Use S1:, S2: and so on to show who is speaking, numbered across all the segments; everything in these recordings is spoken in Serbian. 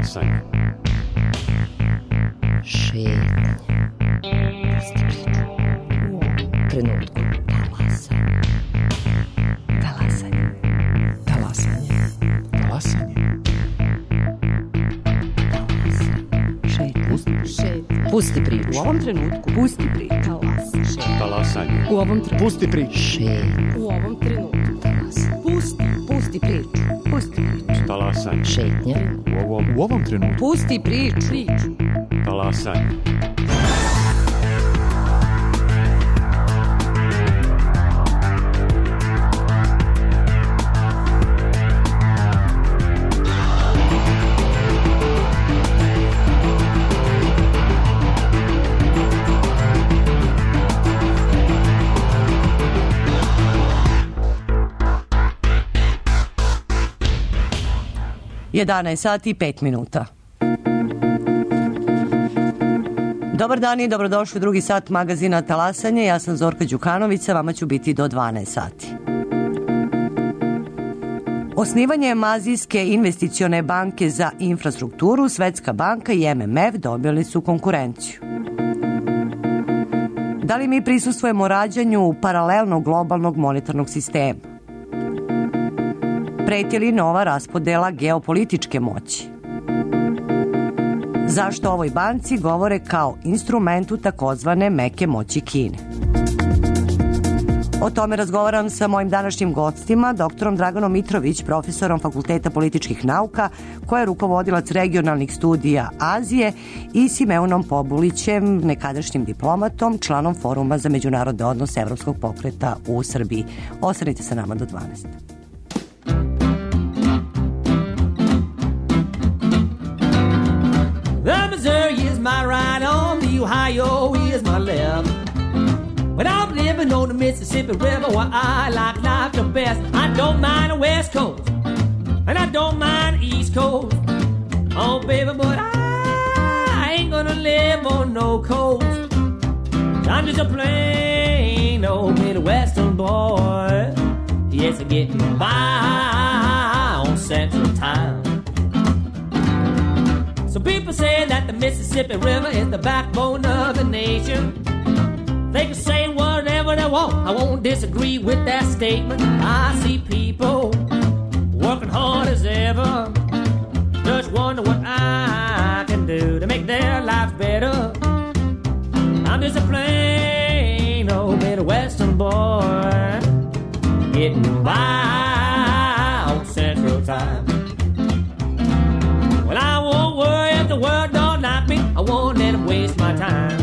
S1: Talasanje.
S2: Šetnje. Pusti priču. U ovom trenutku. Talasanje. Talasanje.
S3: Talasanje.
S2: Pusti priču.
S3: U ovom trenutku.
S2: Pusti priču.
S1: Talasanje.
S3: U ovom trenutku. Pusti priču.
S2: Šetnje.
S3: U ovom trenutku.
S2: Pusti priču. Pusti priču.
S1: Talasanje.
S2: Šetnje.
S1: U ovom trenutku.
S2: Pusti priču.
S1: Talasanje.
S4: Jedanaest sati i 5 minuta. Dobar dan i dobrodošli u drugi sat magazina Talasanje. Ja sam Zorka Đukanović, sa vama ću biti do 12 sati. Osnivanjem Azijske investicione banke za infrastrukturu, Svetska banka i MMF dobili su konkurenciju. Da li mi prisustvujemo rađanju paralelnog globalnog monetarnog sistema? Preti li nova raspodela geopolitičke moći? Zašto ovoj banci govore kao instrumentu takozvane meke moći Kine? O tome razgovaram sa mojim današnjim gostima, doktorom Draganom Mitrović, profesorom Fakulteta političkih nauka, koja je rukovodilac regionalnih studija Azije, i Simeunom Pobulićem, nekadašnjim diplomatom, članom Foruma za međunarodne odnose Evropskog pokreta u Srbiji. Ostanite sa nama do 12.
S5: The Missouri is my right arm, the Ohio is my left. But I'm living on the Mississippi River where I like life the best. I don't mind the West Coast, and I don't mind the East Coast. Oh, baby, but I ain't gonna live on no coast. I'm just a plain old Midwestern boy. Yes, I'm getting by on Central Time. So people say that the Mississippi River is the backbone of the nation. They can say whatever they want, I won't disagree with that statement. I see people working hard as ever, just wonder what I can do to make their lives better. I'm just a plain old Midwestern boy, getting by on Central Time. Well, I won't worry if the world don't like me, I won't let them waste my time.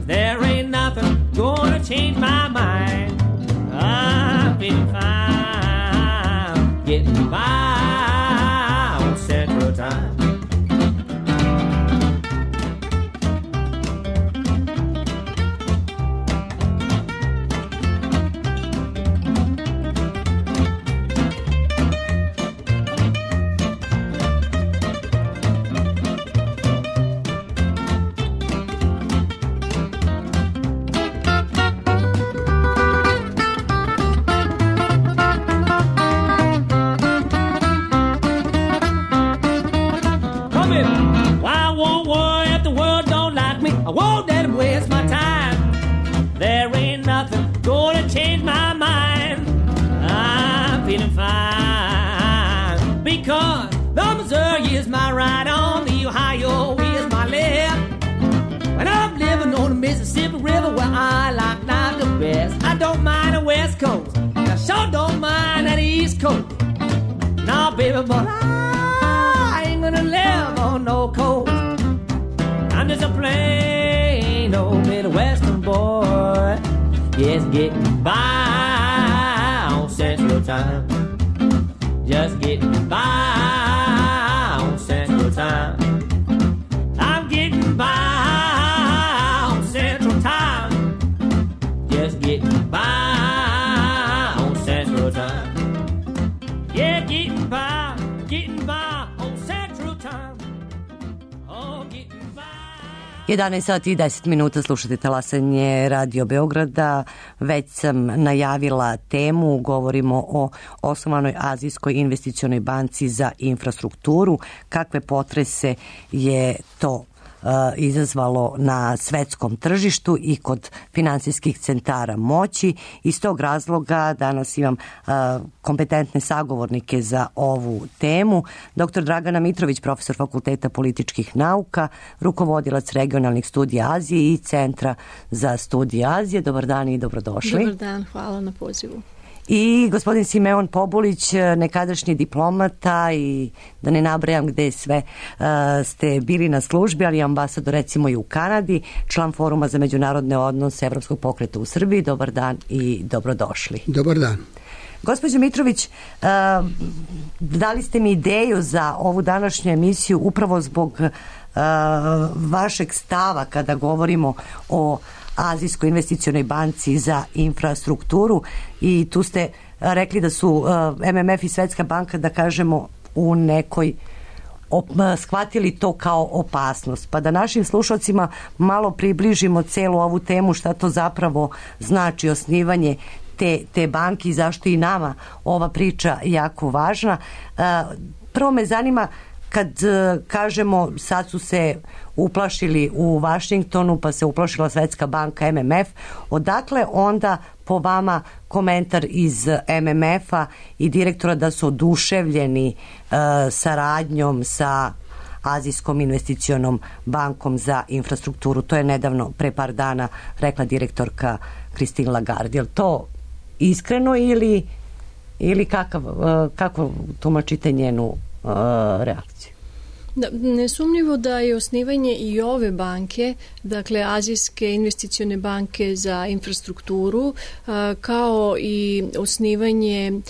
S5: There ain't nothing gonna change my mind. I'm feeling fine, getting by on Central Time. Mississippi River where I like life the best. I don't mind the West Coast, I sure don't mind that East Coast. Nah, baby, but I ain't gonna live on no coast. I'm just a plain old Midwestern boy, yes, getting by on Central Time. Just getting by on Central Time. I'm getting by. Just getting by on Central Time. Yeah, getting by on Central Time. Oh, getting by.
S4: 11 sati i 10 minuta, slušate talasanje Radio Beograda. Već sam najavila temu, govorimo o osnovanoj Azijskoj investicionoj banci za infrastrukturu. Kakve potrese je to izazvalo na svetskom tržištu i kod finansijskih centara moći. Iz tog razloga danas imam kompetentne sagovornike za ovu temu. Dr. Dragana Mitrović, profesor Fakulteta političkih nauka, rukovodilac regionalnih studija Azije i Centra za studije Azije. Dobar dan i dobrodošli.
S6: Dobar dan, hvala na pozivu.
S4: I gospodin Simeon Pobulić, nekadašnji diplomata i da ne nabrajam gde sve ste bili na službi, ali ambasador recimo i u Kanadi, član Foruma za međunarodne odnose Evropskog pokreta u Srbiji. Dobar dan i dobrodošli.
S7: Dobar dan.
S4: Gospođo Mitrović, dali ste mi ideju za ovu današnju emisiju upravo zbog vašeg stava kada govorimo o Azijskoj investicionoj banci za infrastrukturu i tu ste rekli da su MMF i Svetska banka, da kažemo, u nekoj shvatili to kao opasnost. Pa da našim slušalcima malo približimo celu ovu temu, šta to zapravo znači osnivanje te banke i zašto i nama ova priča jako važna. Prvo me zanima, kad kažemo sad su se uplašili u Vašingtonu, pa se uplašila Svetska banka, MMF, odakle onda po vama komentar iz MMF-a i direktora da su oduševljeni saradnjom sa Azijskom investicionom bankom za infrastrukturu? To je nedavno, pre par dana, rekla direktorka Christine Lagarde. Je li to iskreno ili kako tumačite njenu reakciju?
S6: Da, nesumnjivo da je osnivanje i ove banke, dakle Azijske investicione banke za infrastrukturu, kao i osnivanje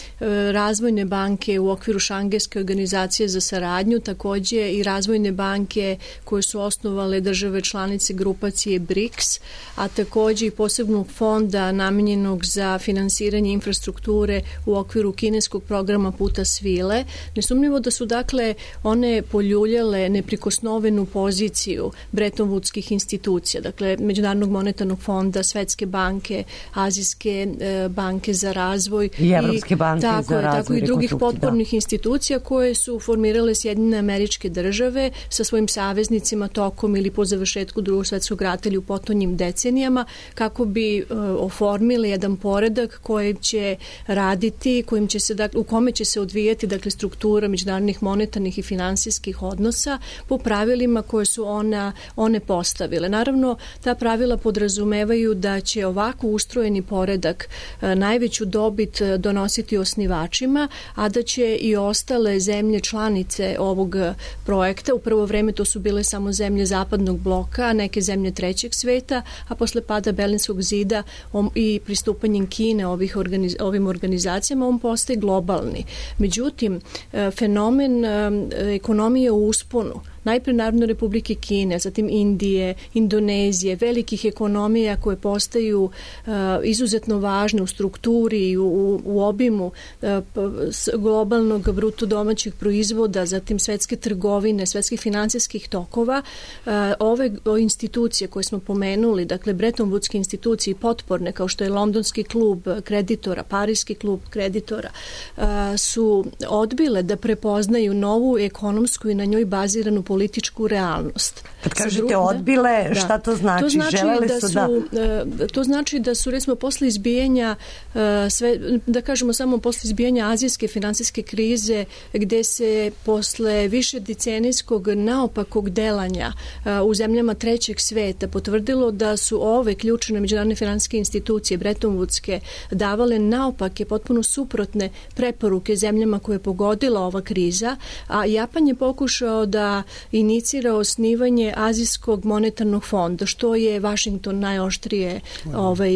S6: razvojne banke u okviru Šangajske organizacije za saradnju, takođe i razvojne banke koje su osnovale države članice grupacije BRICS, a takođe i posebnog fonda namenjenog za finansiranje infrastrukture u okviru kineskog programa Puta svile. Nesumnjivo da su dakle one poljuljale neprikosnovenu poziciju Bretton Woodskih institucija, dakle Međunarodnog monetarnog fonda, Svetske banke, Azijske banke za razvoj
S4: i Evropske banke za razvoj,
S6: tako i drugih potpornih institucija koje su formirale Sjedinjene Američke Države sa svojim saveznicima tokom ili po završetku Drugog svetskog rata ili u potonjim decenijama, kako bi oformili jedan poredak kojim će raditi, u kome će se odvijati dakle struktura međunarodnih monetarnih i finansijskih odnosa po pravilima koje su one postavile. Naravno, ta pravila podrazumevaju da će ovako ustrojeni poredak najveću dobit donositi osnivačima, a da će i ostale zemlje članice ovog projekta, u prvo vreme to su bile samo zemlje zapadnog bloka, neke zemlje trećeg sveta, a posle pada Berlinskog zida i pristupanjem Kine ovim organizacijama, on postaje globalni. Međutim, fenomen ekonomije u usponu, najpre Narodne Republike Kine, zatim Indije, Indonezije, velikih ekonomija koje postaju izuzetno važne u strukturi i u obimu globalnog bruto domaćeg proizvoda, zatim svetske trgovine, svetskih finansijskih tokova. Ove institucije koje smo pomenuli, dakle Bretton Woodske institucije potporne, kao što je Londonski klub kreditora, Parijski klub kreditora, su odbile da prepoznaju novu ekonomsku i na njoj baziranu političku realnost.
S4: Kad kažete odbile, šta to znači? Želeli su
S6: to znači da su, recimo, posle izbijanja, da kažemo samo posle izbijanja azijske finansijske krize, gde se posle više decenijskog naopakog delanja u zemljama trećeg sveta potvrdilo da su ove ključne međunarodne finansijske institucije, Bretton Woodske, davale naopake, potpuno suprotne preporuke zemljama koje je pogodila ova kriza, a Japan je pokušao da inicira osnivanje Azijskog monetarnog fonda, što je Vašington najoštrije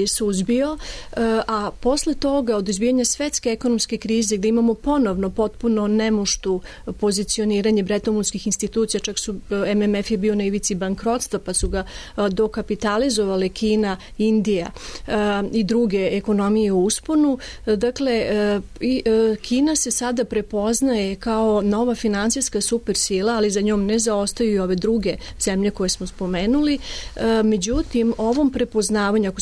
S6: suzbio, a posle toga od izbijanja svetske ekonomske krize, gde imamo ponovno potpuno nemuštu pozicioniranje Bretton Woodskih institucija, čak su MMF je bio na ivici bankrotstva, pa su ga dokapitalizovale Kina, Indija i druge ekonomije u usponu. Dakle, Kina se sada prepoznaje kao nova finansijska supersila, ali za njom ne ne zaostaju i ove druge zemlje koje smo spomenuli. Međutim, ovom prepoznavanju,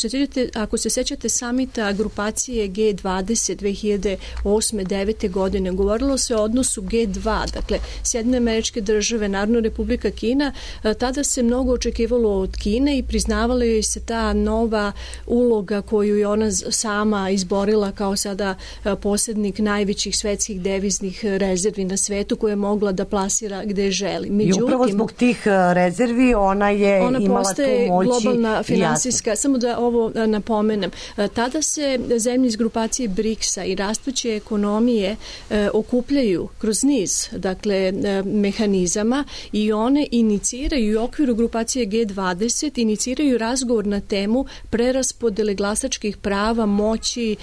S6: ako se sećate samita grupacije G20 2008-2009 godine, govorilo se o odnosu G2, dakle Sjedinjene Američke Države, Narodna Republika Kina, tada se mnogo očekivalo od Kine i priznavala joj se ta nova uloga koju je ona sama izborila kao sada posrednik najvećih svetskih deviznih rezervi na svetu, koje je mogla da plasira gde želi.
S4: Međutim, i upravo zbog tih rezervi ona imala tu moći.
S6: Globalna finansijska, samo da ovo napomenem, tada se zemlje iz grupacije BRICS-a i rastuće ekonomije okupljaju kroz niz, dakle, mehanizama i one iniciraju u okviru grupacije G20 iniciraju razgovor na temu preraspodele glasačkih prava, moći,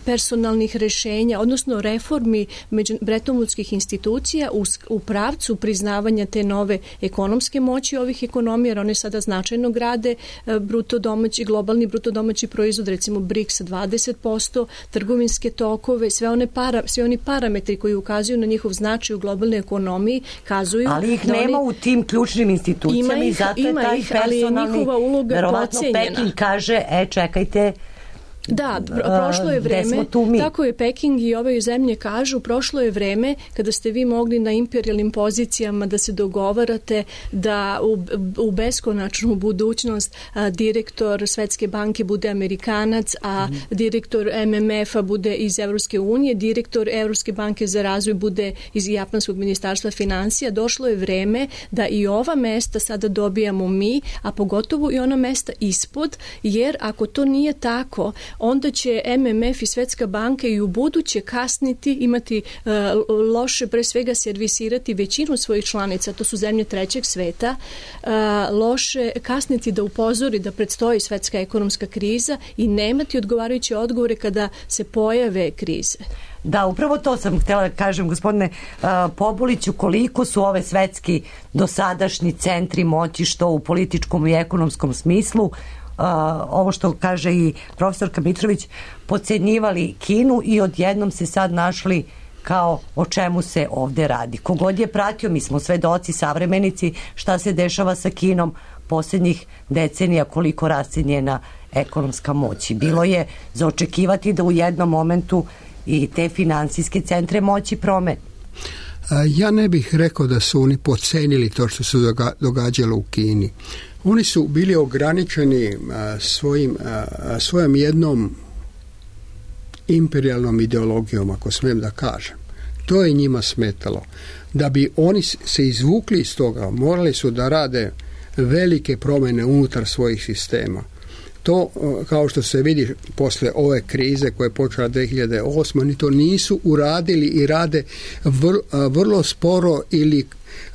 S6: personalnih rešenja, odnosno reformi bretonvudskih institucija u pravcu priznavanja te nove ekonomske moći ovih ekonomija, jer one sada značajno grade globalni bruto domaći proizvod, recimo BRICS 20%, trgovinske tokove, svi oni parametri koji ukazuju na njihov značaj u globalnoj ekonomiji kazuju.
S4: Ali ih nema u tim ključnim institucijama i zato je taj personalni, verovatno Peking kaže, čekajte,
S6: da, prošlo je vreme, tako je Peking i ove zemlje kažu, prošlo je vreme kada ste vi mogli na imperijalnim pozicijama da se dogovarate da u beskonačnu budućnost direktor Svetske banke bude Amerikanac, a direktor MMF-a bude iz Evropske unije, direktor Evropske banke za razvoj bude iz Japanskog ministarstva financija. Došlo je vreme da i ova mesta sada dobijamo mi, a pogotovo i ona mesta ispod, jer ako to nije tako, onda će MMF i Svetska banka i u buduće kasniti, imati loše, pre svega servisirati većinu svojih članica, to su zemlje trećeg sveta, loše kasniti da upozori da predstoji svetska ekonomska kriza i nemati odgovarajuće odgovore kada se pojave krize.
S4: Da, upravo to sam htjela da kažem, gospodine Pobuliću, koliko su ove svetski dosadašnji centri moći, što u političkom i ekonomskom smislu, ovo što kaže i profesorka Mitrović, podcenjivali Kinu i odjednom se sad našli kao o čemu se ovde radi. Kogod je pratio, mi smo svedoci, savremenici, šta se dešava sa Kinom posljednjih decenija, koliko raste njena ekonomska moć. Bilo je za očekivati da u jednom momentu i te finansijske centre moći promene.
S7: Ja ne bih rekao da su oni podcenili to što se događalo u Kini. Oni su bili ograničeni svojom jednom imperijalnom ideologijom, ako smijem da kažem. To je njima smetalo. Da bi oni se izvukli iz toga, morali su da rade velike promjene unutar svojih sistema. To, kao što se vidi posle ove krize koja je počela 2008, oni to nisu uradili i rade vrlo sporo ili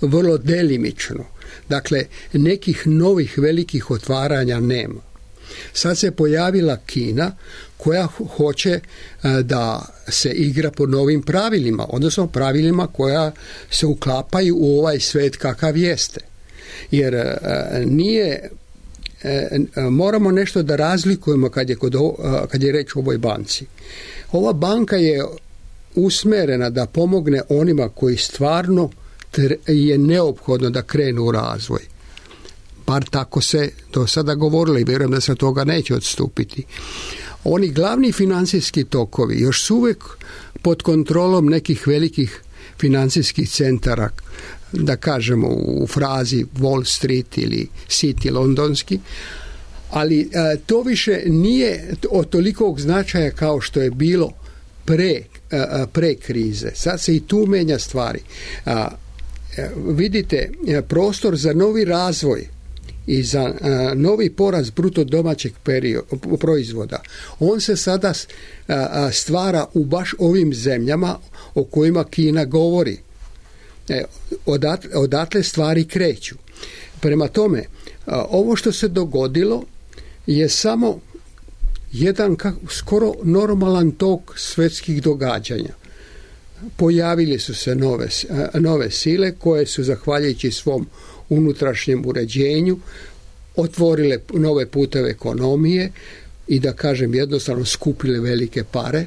S7: vrlo delimično. Dakle, nekih novih velikih otvaranja nema. Sad se pojavila Kina koja hoće da se igra po novim pravilima, odnosno pravilima koja se uklapaju u ovaj svet kakav jeste. Jer moramo nešto da razlikujemo kad je reč o ovoj banci. Ova banka je usmerena da pomogne onima koji stvarno je neophodno da krenu u razvoj. Bar tako se do sada govorilo i vjerujem da se toga neće odstupiti. Oni glavni financijski tokovi još su uvijek pod kontrolom nekih velikih financijskih centara, da kažemo u frazi Wall Street ili City londonski, ali to više nije od tolikog značaja kao što je bilo pre krize. Sad se i tu menja stvari. Vidite, prostor za novi razvoj i za novi porast bruto domaćeg proizvoda, on se sada stvara u baš ovim zemljama o kojima Kina govori. Odatle stvari kreću. Prema tome, ovo što se dogodilo je samo jedan skoro normalan tok svetskih događanja. Pojavili su se nove sile koje su, zahvaljujući svom unutrašnjem uređenju, otvorile nove puteve ekonomije i, da kažem jednostavno, skupile velike pare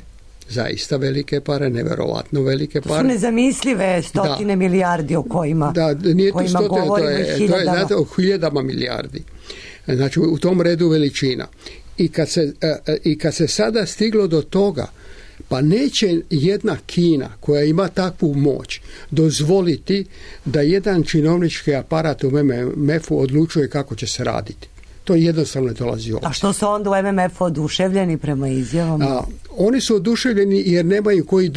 S7: zaista velike pare, neverovatno velike
S4: To su
S7: pare.
S4: nezamislive stotine milijardi o kojima,
S7: nije to
S4: kojima
S7: stotine,
S4: govorimo,
S7: to je
S4: hiljadama.
S7: znate, o hiljadama milijardi. Znači, u tom redu veličina. I kad se sada stiglo do toga, pa neće jedna Kina koja ima takvu moć dozvoliti da jedan činovnički aparat u MMF-u odlučuje kako će se raditi. To jednostavno ne dolazi obzir.
S4: A što su onda u MMF-u oduševljeni prema izjavama?
S7: Oni su oduševljeni jer nemaju koji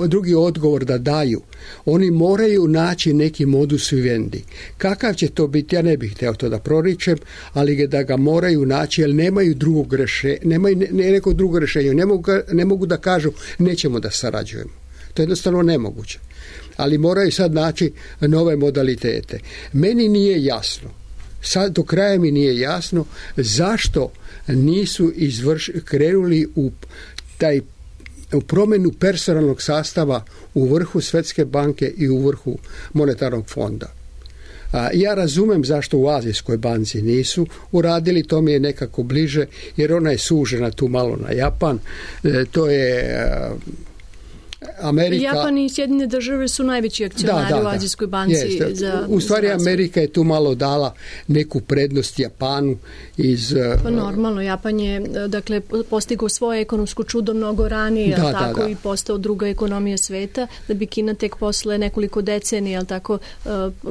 S7: drugi odgovor da daju. Oni moraju naći neki modus vivendi. Kakav će to biti, ja ne bih htio to da proričem, ali da ga moraju naći jer nemaju drugog rješenja, nekog drugog rješenja. Ne mogu da kažu nećemo da sarađujemo. To je jednostavno nemoguće. Ali moraju sad naći nove modalitete. Meni nije jasno, sad do kraja mi nije jasno zašto nisu krenuli u promjenu personalnog sastava u vrhu Svjetske banke i u vrhu monetarnog fonda. Ja razumem zašto u Azijskoj banci nisu uradili, to mi je nekako bliže, jer ona je sužena tu malo na Japan. To je Amerika...
S6: Japan i Sjedinjene države su najveći akcionari u Azijskoj banci.
S7: U stvari Amerika je tu malo dala neku prednost Japanu
S6: Pa normalno, Japan je dakle postigao svoje ekonomsko čudo mnogo ranije, tako i postao druga ekonomija sveta, da bi Kina tek posle nekoliko decenija, tako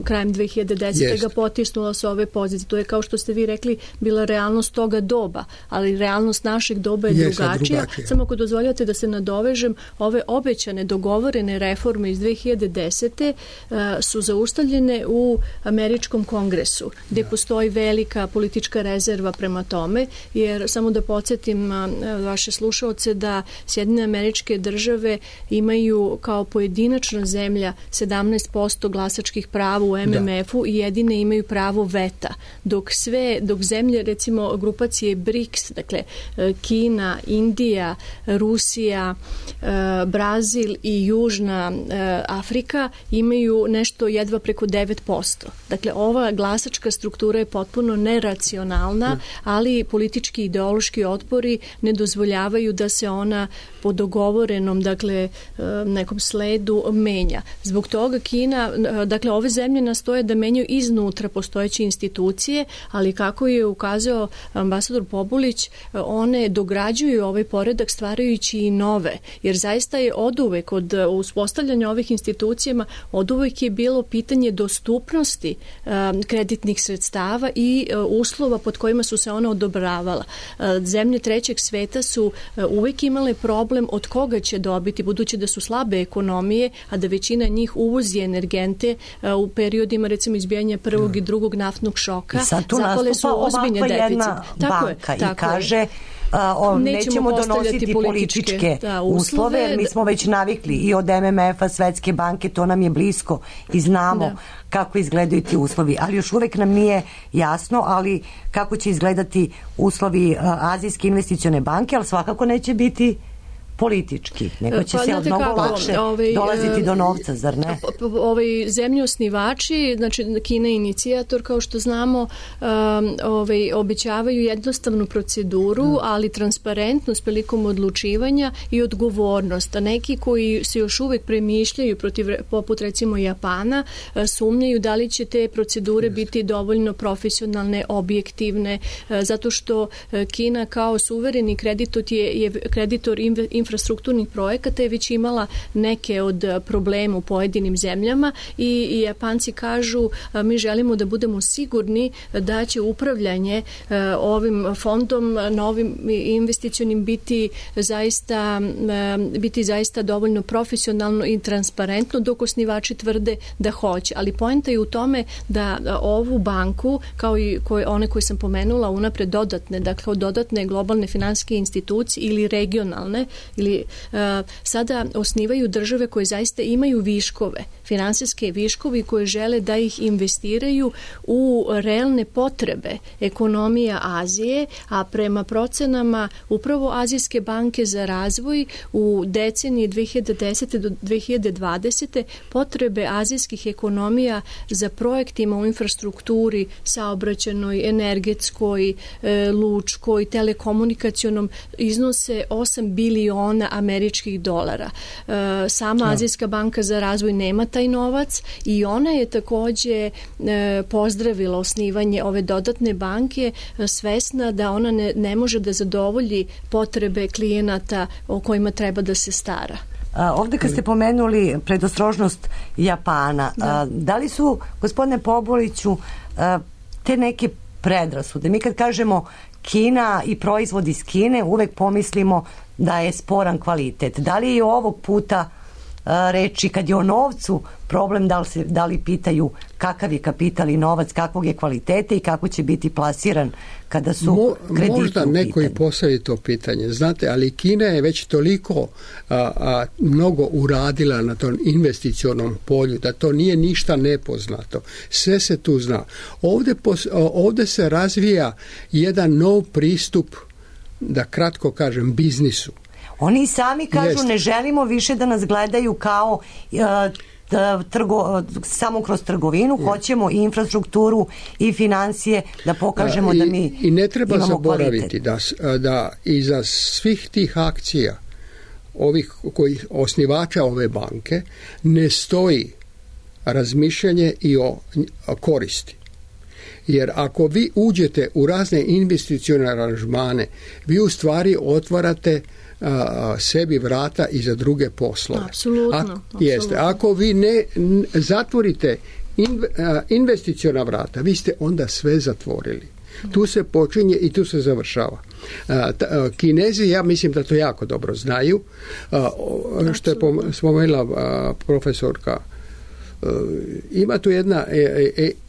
S6: krajem 2010. ga potisnula sa ove pozicije. To je, kao što ste vi rekli, bila realnost toga doba, ali realnost našeg doba je drugačija. Samo ako dozvoljate da se nadovežem, ove obećane dogovorene reforme iz 2010. su zaustavljene u Američkom kongresu, gdje postoji velika politička rezerva prema tome, jer samo da podsjetim vaše slušaoce da Sjedinjene Američke Države imaju kao pojedinačna zemlja 17% glasačkih prava u MMF-u i jedine imaju pravo veta, dok zemlje, recimo grupacije BRICS, dakle Kina, Indija, Rusija, Brazil i Južna Afrika imaju nešto jedva preko 9%. Dakle, ova glasačka struktura je potpuno neracionalna, ali politički i ideološki otpori ne dozvoljavaju da se ona po dogovorenom, dakle, nekom sledu menja. Zbog toga Kina, dakle, ove zemlje nastoje da menjaju iznutra postojeće institucije, ali kako je ukazao ambasador Pobulić, one dograđuju ovaj poredak stvarajući i nove, jer zaista je oduvek od uspostavljanja ovih institucijama oduvek je bilo pitanje dostupnosti kreditnih sredstava i uslova pod kojima su se ona odobravala. Zemlje trećeg sveta su uvek imale problem od koga će dobiti, budući da su slabe ekonomije, a da većina njih uvozi energente u periodima, recimo, izbijanja prvog i drugog naftnog šoka.
S4: I sad tu nastupa ovakva jedna banka i kaže nećemo donositi političke uslove, jer mi smo već navikli i od MMF-a, Svetske banke, to nam je blisko i znamo kako izgledaju ti uslovi, ali još uvek nam nije jasno, ali kako će izgledati uslovi Azijske investicione banke, ali svakako neće biti politički, nego će se mnogo lakše dolaziti do novca, zar ne?
S6: Zemlje osnivači, znači Kina je inicijator, kao što znamo, obećavaju jednostavnu proceduru, ali transparentnost prilikom odlučivanja i odgovornost. A neki koji se još uvek premišljaju poput recimo Japana, sumnjaju da li će te procedure biti dovoljno profesionalne, objektivne, zato što Kina kao suvereni kreditor infrastrukturnih projekata je već imala neke od problema u pojedinim zemljama i Japanci kažu mi želimo da budemo sigurni da će upravljanje ovim fondom, novim investicionim biti zaista dovoljno profesionalno i transparentno, dok osnivači tvrde da hoće. Ali poenta je u tome da ovu banku, kao i one koje sam pomenula unapred, dodatne globalne finansijske institucije ili regionalne ili sada osnivaju države koje zaista imaju viškove, finansijske viškovi koje žele da ih investiraju u realne potrebe ekonomija Azije, a prema procenama upravo Azijske banke za razvoj u deceniji 2010. do 2020. potrebe azijskih ekonomija za projektima u infrastrukturi, saobraćajnoj, energetskoj, lučkoj, telekomunikacionom iznose 8 biliona miliona američkih dolara. Sama Azijska banka za razvoj nema taj novac i ona je takođe pozdravila osnivanje ove dodatne banke, svesna da ona ne može da zadovolji potrebe klijenata o kojima treba da se stara.
S4: Ovde kad ste pomenuli predostrožnost Japana, da li su, gospodine Pobuliću, te neke predrasude? Mi kad kažemo Kina i proizvod iz Kine, uvek pomislimo da je sporan kvalitet. Da li je ovog puta reči, kad je o novcu problem, da li pitaju kakav je kapital i novac, kakvog je kvalitete i kako će biti plasiran kada su krediti
S7: možda neko i postavi to pitanje, znate, ali Kina je već toliko mnogo uradila na tom investicionom polju da to nije ništa nepoznato. Sve se tu zna. Ovde se razvija jedan nov pristup, da kratko kažem, biznisu.
S4: Oni sami kažu ne želimo više da nas gledaju kao samo kroz trgovinu, hoćemo i infrastrukturu i financije da pokažemo da mi imamo kvalitet.
S7: I ne treba zaboraviti da iza svih tih akcija ovih osnivača ove banke ne stoji razmišljanje i o koristi. Jer ako vi uđete u razne investicione aranžmane, vi u stvari otvarate sebi vrata i za druge poslove.
S6: Apsolutno.
S7: Jeste. Ako vi ne zatvorite investiciona vrata, vi ste onda sve zatvorili. Tu se počinje i tu se završava. Kinezi, ja mislim da to jako dobro znaju. Što je spomenula profesorka, ima tu jedna,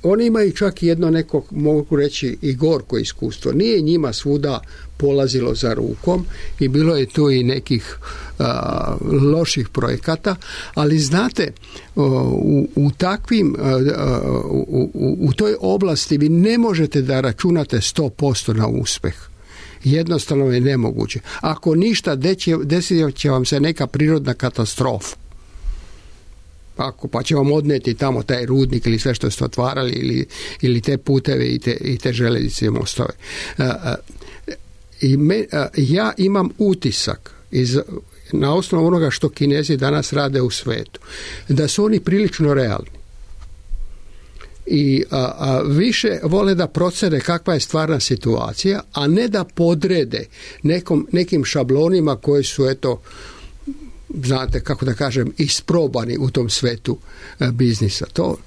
S7: oni imaju čak jedno neko, mogu reći, i gorko iskustvo. Nije njima svuda polazilo za rukom i bilo je tu i nekih loših projekata, ali znate, u takvim u toj oblasti vi ne možete da računate 100% na uspeh. Jednostavno je nemoguće. Ako ništa, desit će vam se neka prirodna katastrofa. Pa će vam odneti tamo taj rudnik ili sve što ste otvarali ili te puteve i te željeznice i mostove. Ja imam utisak na osnovu onoga što Kinezi danas rade u svetu, da su oni prilično realni. I više vole da procene kakva je stvarna situacija, a ne da podrede nekim šablonima koji su, eto, znate, kako da kažem, isprobani u tom svetu biznisa. To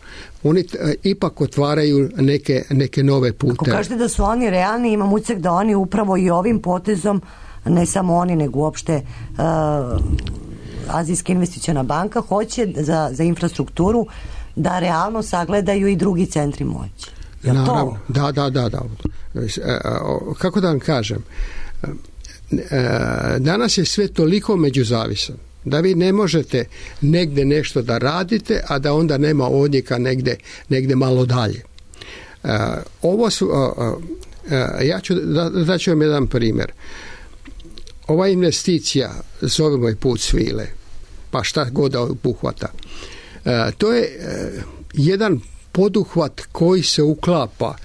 S7: oni ipak otvaraju neke nove puteve.
S4: Ako kažete da su oni realni, imam utisak da oni upravo i ovim potezom, ne samo oni, nego uopšte Azijska investiciona banka hoće za infrastrukturu da realno sagledaju i drugi centri moći.
S7: Naravno, da. Kako da vam kažem, danas je sve toliko međuzavisan da vi ne možete negde nešto da radite, a da onda nema odjeka negde malo dalje. Ovo su, ja ću daću vam jedan primjer. Ova investicija, zovemo je Put svile, pa šta god da obuhvata, to je jedan poduhvat koji se uklapa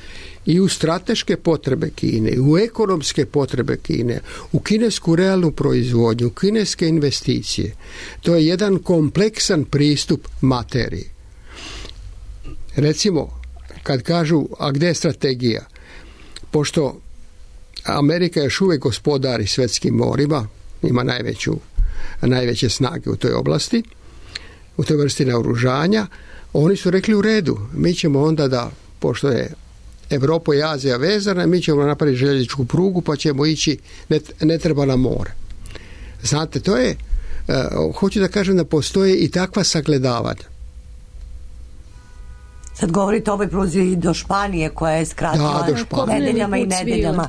S7: i u strateške potrebe Kine, i u ekonomske potrebe Kine, u kinesku realnu proizvodnju, u kineske investicije. To je jedan kompleksan pristup materiji. Recimo, kad kažu, a gde je strategija? Pošto Amerika još uvijek gospodari svjetskim morima, ima najveće snage u toj oblasti, u toj vrsti naoružanja, oni su rekli u redu, mi ćemo onda da, pošto je Evropa i Azija vezana, mi ćemo napraviti željezničku prugu pa ćemo ići, ne treba na more. Znate, to je, hoću da kažem da postoje i takva sagledavanja.
S4: Sad govorite o ovoj pruzi i do Španije koja je skratila nedeljama i nedeljama.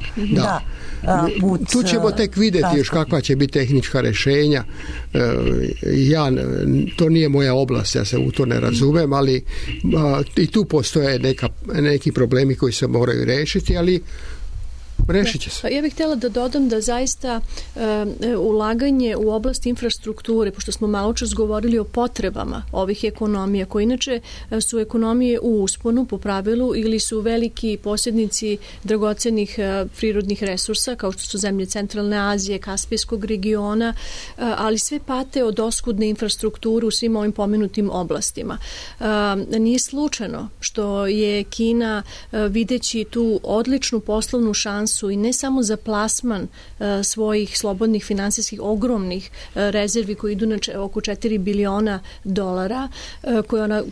S7: Tu ćemo tek vidjeti još kakva će biti tehnička rješenja. To nije moja oblast, ja se u to ne razumem, ali i tu postoje neki problemi koji se moraju riješiti, ali rešit će se.
S6: Ja bih htjela da dodam da zaista ulaganje u oblast infrastrukture, pošto smo malo čas govorili o potrebama ovih ekonomija, koje inače su ekonomije u usponu po pravilu ili su veliki posjednici dragocenih prirodnih resursa, kao što su zemlje Centralne Azije, Kaspijskog regiona, ali sve pate od oskudne infrastrukture u svim ovim pomenutim oblastima. Nije slučajno što je Kina, videći tu odličnu poslovnu šansu i ne samo za plasman svojih slobodnih finansijskih ogromnih rezervi koji idu na oko 4 biliona dolara, koje ona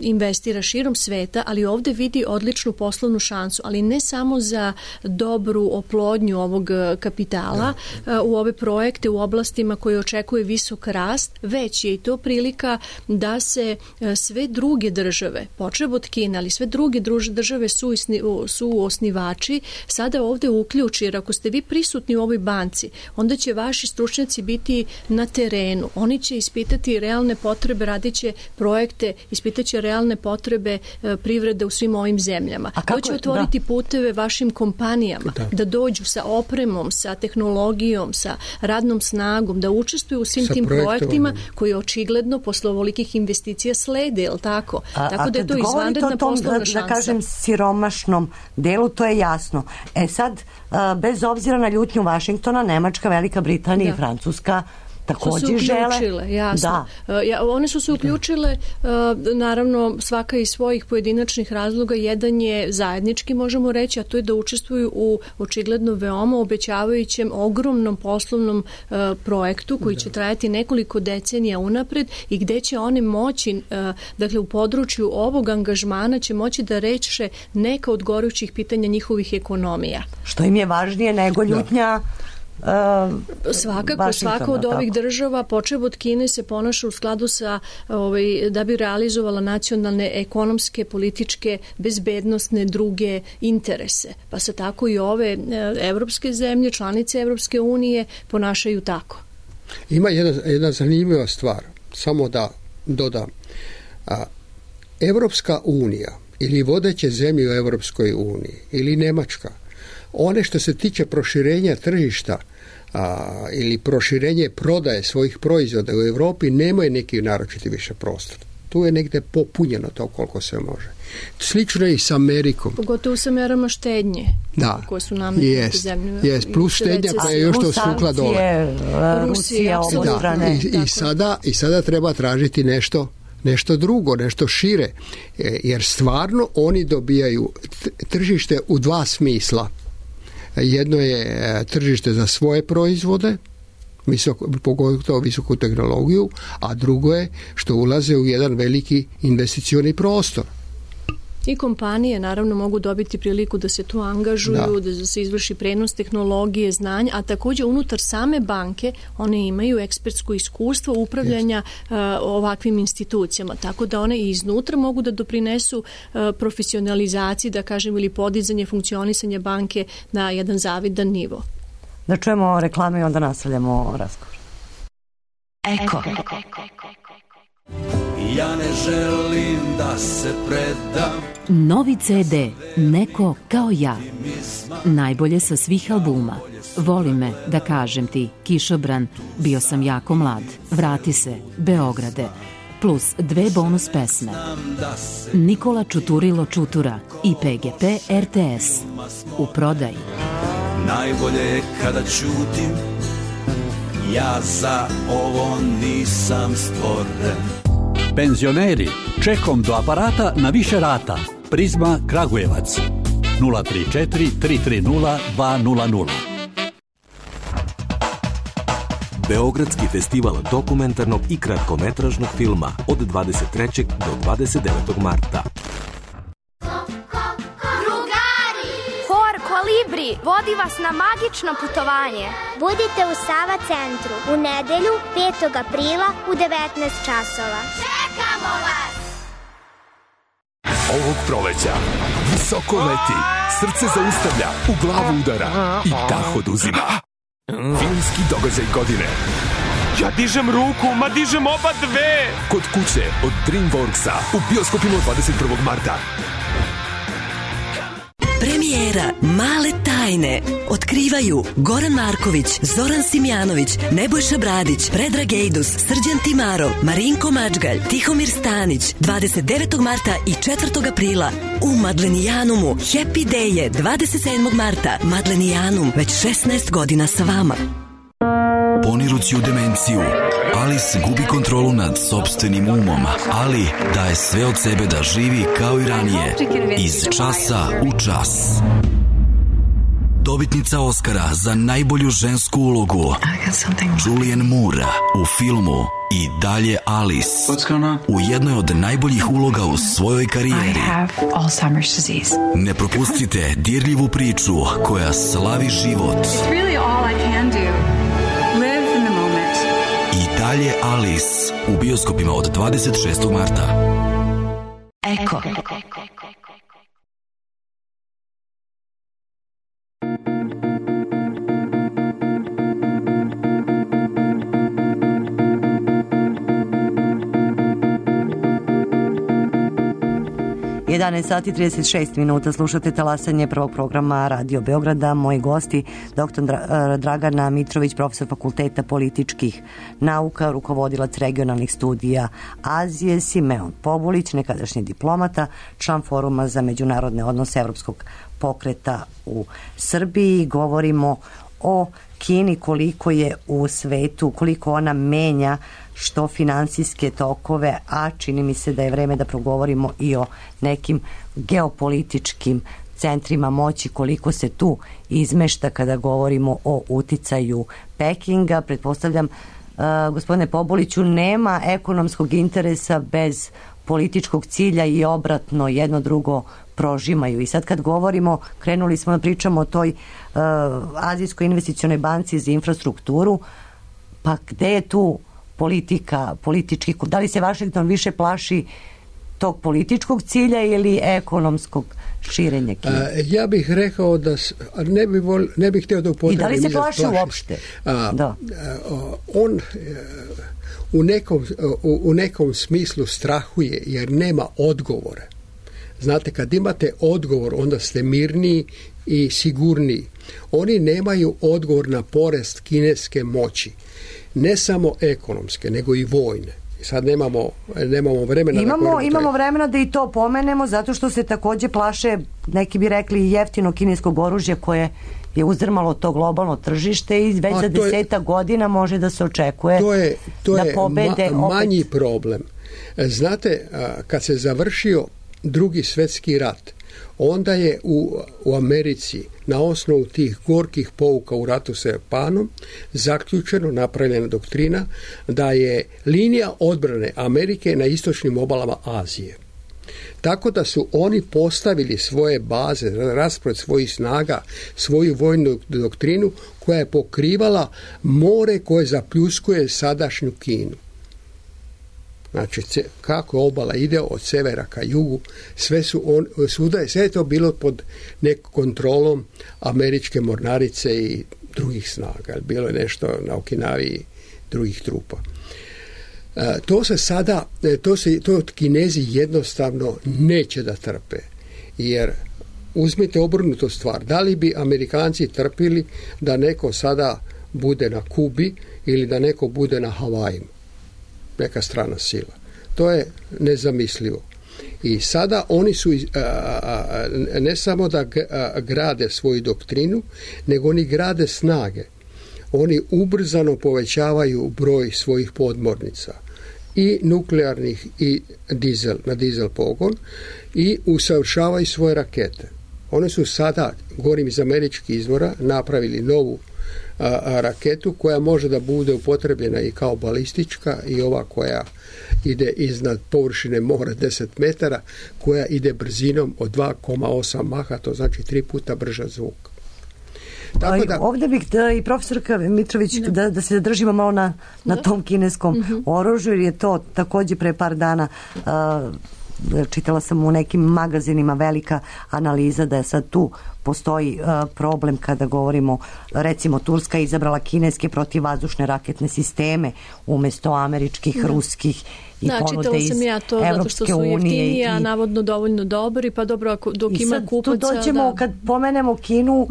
S6: investira širom sveta, ali ovde vidi odličnu poslovnu šansu, ali ne samo za dobru oplodnju ovog kapitala u ove projekte u oblastima koje očekuje visok rast, već je i to prilika da se sve druge države, počev od Kine, ali sve druge države su osnivači, sada ovde uključi, jer ako ste vi prisutni u ovoj banci, onda će vaši stručnjaci biti na terenu. Oni će ispitati realne potrebe, radit će projekte, ispitaće realne potrebe privrede u svim ovim zemljama. To će otvoriti puteve vašim kompanijama da dođu sa opremom, sa tehnologijom, sa radnom snagom, da učestvuju u svim tim projektima koji očigledno posle ovolikih investicija slede, je li tako? Tako da je to izvanredna poslovna šansa.
S4: Da kažem siromašnom delu, to je jasno. Sad, bez obzira na ljutnju Vašingtona, Nemačka, Velika Britanija i Francuska također žele.
S6: Jasno. One su se uključile, naravno svaka iz svojih pojedinačnih razloga. Jedan je zajednički, možemo reći, a to je da učestvuju u očigledno veoma obećavajućem ogromnom poslovnom projektu koji će trajati nekoliko decenija unapred i gde će one moći, dakle u području ovog angažmana će moći da reše neka od gorućih pitanja njihovih ekonomija.
S4: Što im je važnije nego ljutnja
S6: svakako, svaka od ovih država, počev od Kine, se ponaša u skladu sa da bi realizovala nacionalne, ekonomske, političke, bezbednosne, druge interese. Pa se tako i ove evropske zemlje, članice Evropske unije, ponašaju tako.
S7: Ima jedna zanimljiva stvar, samo da dodam. Evropska unija ili vodeće zemlje u Evropskoj uniji ili Nemačka, one što se tiče proširenja tržišta ili proširenje prodaje svojih proizvoda u Europi nemaju neki naročiti više prostor. Tu je negde popunjeno to koliko se može. Slično je i s Amerikom.
S6: Pogotovo sa merama štednje.
S7: Da.
S6: Koje su nametnute zemlje.
S7: Plus štednja koja je još to stukla dole.
S4: Rusija, obostrane.
S7: I sada treba tražiti nešto drugo, nešto šire. Jer stvarno oni dobijaju tržište u dva smisla. Jedno je tržište za svoje proizvode, pogotovo visoku tehnologiju, a drugo je što ulaze u jedan veliki investicioni prostor.
S6: I kompanije naravno mogu dobiti priliku da se tu angažuju, da se izvrši prenos tehnologije, znanja, a također unutar same banke one imaju ekspertsko iskustvo upravljanja ovakvim institucijama, tako da one i iznutra mogu da doprinesu profesionalizaciji, da kažem, ili podizanje funkcionisanja banke na jedan zavidan nivo.
S4: Da čujemo reklame i onda nastavljamo razgovor.
S2: Eko.
S8: Ja ne želim da se predam.
S2: Novi CD Neko kao ja. Najbolje sa svih albuma. Voli me, da kažem ti, Kišobran, Bio sam jako mlad, Vrati se, Beograde, plus 2 bonus pesme. Nikola Čuturilo Čutura i PGP RTS. U prodaji.
S8: Najbolje je kada ćutim, ja za ovo nisam stvoren.
S9: Penzioneri, čekom do aparata na više rata. Prizma Kragujevac 034 330 200.
S10: Beogradski festival dokumentarnog i kratkometražnog filma od 23. do 29. marta.
S11: Kolibri vodi vas na magično putovanje.
S12: Budite u Sava centru u nedelju 5. aprila u 19 časova.
S11: Čekamo vas!
S13: Ovog proleća visoko leti, srce zaustavlja, u glavu udara i dah oduzima. Filmski događaj godine.
S14: Ja dižem ruku, ma dižem oba dve!
S13: Kod kuće od DreamWorksa u bioskopima 21. marta.
S15: Premijer Premijera Male tajne otkrivaju Goran Marković, Zoran Simjanović, Nebojša Bradić, Predrag Ejdus, Srđan Timarov, Marinko Mačgalj, Tihomir Stanić 29. marta i 4. aprila u Madlenijanumu. Happy Day je 27. marta. Madlenijanum već 16 godina sa vama.
S16: Ponirući u demenciju, Alice gubi kontrolu nad sopstvenim umom, ali daje sve od sebe da živi kao i ranije, iz časa u čas. Dobitnica Oscara za najbolju žensku ulogu Julianne Moore u filmu I dalje Alice, u jednoj od najboljih uloga u svojoj karijeri. Ne propustite dirljivu priču koja slavi život. I dalje Alice u bioskopima od 26. marta.
S15: Eko.
S4: 11 sati 36 minuta, slušate talasanje prvog programa Radio Beograda. Moji gosti, dr. Dragana Mitrović, profesor Fakulteta političkih nauka, rukovodilac regionalnih studija Azije, Simeon Pobulić, nekadašnji diplomata, član Foruma za međunarodne odnose Evropskog pokreta u Srbiji. Govorimo o Kini, koliko je u svetu, koliko ona menja što finansijske tokove, a čini mi se da je vreme da progovorimo i o nekim geopolitičkim centrima moći, koliko se tu izmešta kada govorimo o uticaju Pekinga. Pretpostavljam, gospodine Pobuliću, nema ekonomskog interesa bez političkog cilja i obratno, jedno drugo prožimaju. I sad kad govorimo, krenuli smo da pričamo o toj Azijskoj investicionoj banci za infrastrukturu, pa gde je tu politika, politički, da li se Vašington više plaši tog političkog cilja ili ekonomskog širenja Kine?
S7: Ja bih rekao da ne bih htio da upotrebim.
S4: I da li se plaši uopšte?
S7: On u nekom smislu strahuje jer nema odgovora. Znate, kad imate odgovor, onda ste mirniji i sigurniji. Oni nemaju odgovor na porast kineske moći. Ne samo ekonomske, nego i vojne. Sad nemamo vremena.
S4: Imamo vremena da i to pomenemo, zato što se takođe plaše, neki bi rekli, jeftino kineskog oružja koje je uzdrmalo to globalno tržište i već za 10 godina može da se očekuje da pobede
S7: manji problem. Znate, kad se završio Drugi svjetski rat, onda je u Americi na osnovu tih gorkih pouka u ratu sa Japanom zaključeno, napravljena doktrina da je linija odbrane Amerike na istočnim obalama Azije. Tako da su oni postavili svoje baze, raspored svojih snaga, svoju vojnu doktrinu koja je pokrivala more koje zapljuskuje sadašnju Kinu. Znači, kako obala ide od severa ka jugu, sve je to bilo pod nekom kontrolom američke mornarice i drugih snaga. Bilo je nešto na Okinavi i drugih trupa. To Kinezi jednostavno neće da trpe. Jer uzmite obrnutu stvar. Da li bi Amerikanci trpili da neko sada bude na Kubi ili da neko bude na Havajima? Neka strana sila. To je nezamislivo. I sada oni su ne samo da grade svoju doktrinu, nego oni grade snage. Oni ubrzano povećavaju broj svojih podmornica i nuklearnih i na dizel pogon i usavršavaju svoje rakete. One su sada, govorim iz američkih izvora, napravili novu raketu koja može da bude upotrebljena i kao balistička i ova koja ide iznad površine mora 10 metara, koja ide brzinom od 2,8 maha, to znači 3 puta brža zvuk.
S4: Ovdje bih i profesorka Mitrović da se zadržimo malo na tom kineskom oružju, jer je to također pre par dana čitala sam u nekim magazinima velika analiza da je sad tu postoji problem kada govorimo, recimo Turska je izabrala kineske protivvazdušne raketne sisteme umesto američkih, ruskih i ponude iz
S6: čitala sam ja to zato što su jeftiniji, a navodno dovoljno dobri, pa dobro, dok ima kupaca...
S4: Tu dođemo, kad pomenemo Kinu,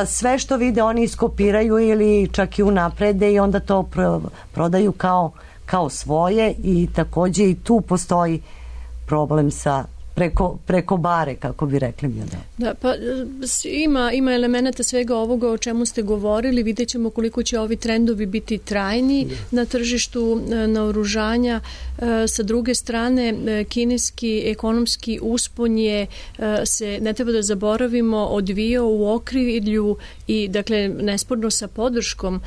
S4: sve što vide oni iskopiraju ili čak i unaprede i onda to prodaju kao svoje i takođe i tu postoji problem sa preko bare, kako bi rekli mi.
S6: Da, pa ima elemenata svega ovoga o čemu ste govorili, vidjet ćemo koliko će ovi trendovi biti trajni na tržištu naoružanja. Sa druge strane, kineski ekonomski uspon je, se ne treba da zaboravimo, odvijao u okrilju i, dakle, nesporno sa podrškom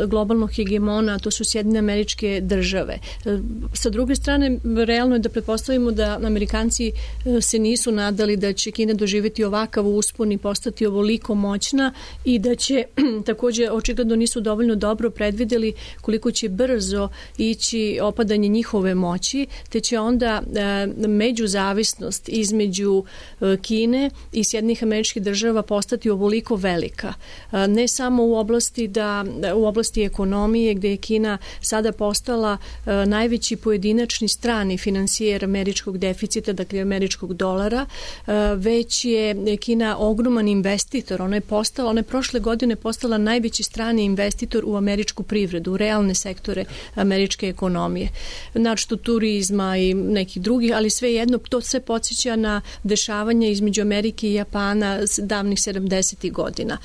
S6: globalnog hegemona, to su Sjedinjene Američke Države. Sa druge strane, realno je da pretpostavimo da Amerikanci se nisu nadali da će Kina doživjeti ovakav uspon i postati ovoliko moćna i da će, takođe, očigledno nisu dovoljno dobro predvideli koliko će brzo ići opadanje njihove moći, te će onda međuzavisnost između Kine i Sjedinjenih Američkih Država postati ovoliko velika. Ne samo u oblasti ekonomije, gde je Kina sada postala najveći pojedinačni strani finansijer američkog deficita, dakle američkog dolara, već je Kina ogroman investitor. Ona je prošle godine postala najveći strani investitor u američku privredu, u realne sektore američke ekonomije. Znači turizma i nekih drugih, ali svejedno to sve podsjeća na dešavanja između Amerike i Japana davnih 70. godina.